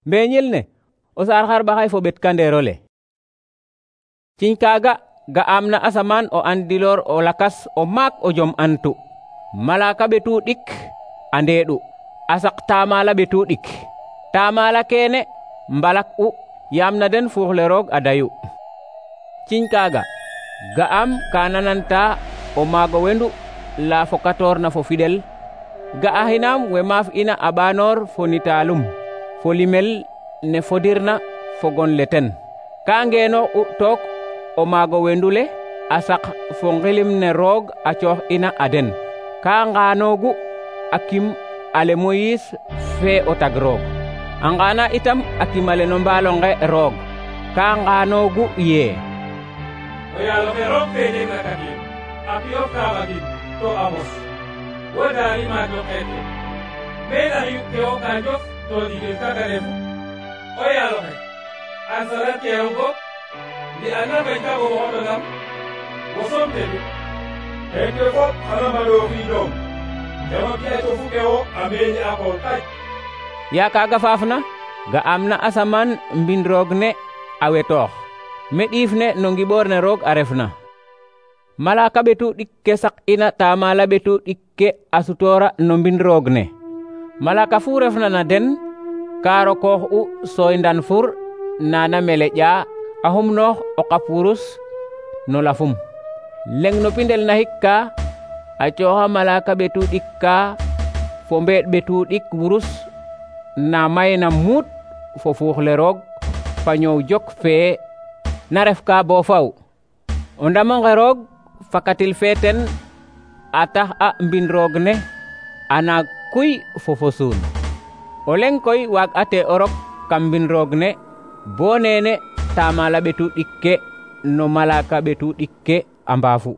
Mbeñel ne o saar xarɓaxay fo ɓet kandeerole. Ciñ kaaga ga'am na asamaan o andiloor o lakas o maak o jom antu. Malaka ɓetu ɗik a ndeeɗu, a saq taamala ɓetu ɗik. Taamala keene mbalak'u yaam na den fuux le roog a dayu. Ciñ kaaga ga'am ka nananta o maago wendu la fokatoorna fo fidel. Ga'axinam we maaf ina a ɓaanoor fo nitaalum fo limel ne fodirna fo gon le ten. Ka ngeenoox'u took o maago wendu le a saq fo ngilim ne roog a coox ina a den. Ka ngaanoogu a kim ale Moyis fe o tag roog. A ngaana itam a kimale no mbaalo nge roog. Ka ngaanoogu yee: o yaal oxe roog fe jegna katin a pi'of ka magin to a mos, wo daali maak no xeete me naxi ke o ka njof to ndigil kaga refu o yaal oxe an salat ke o gok ndi ana bañ ka bo xotonam wo soom telu xeeke fop xana mbadooxiidong jama ki a cofu ke wo a mbeeñ a qool taj. Ya kaaga faafna ga'am na asamaan mbin roog ne a wetoox, me ɗiif ne no ngiɓoor ne roog a refna. Malaka ɓetu ɗik ke saq ina taamala ɓetu ɗik ke a sutoora no mbin roog ne. Malaka fu refna na den ka rokoox'u sooy ndan fur nana mele ƴaa a xumnoox o qap wurus no lafum. Leng no pindel naxik ka a cooxa malaka ɓetu ɗik ka fo mbeeɗ ɓetu ɗik wurus na mayna muut fo fuux le roog fa ñoow jok fee na ref ka bo faw. O ndamonge roog fakatil fe ten a tax a mbin roog ne a naag kuy fo fosuun. O leng koy waag ate o rok kam mbin roog ne bo neene taamala ɓetu ɗik ke no malaka ɓetu ɗik ke a mbaafu.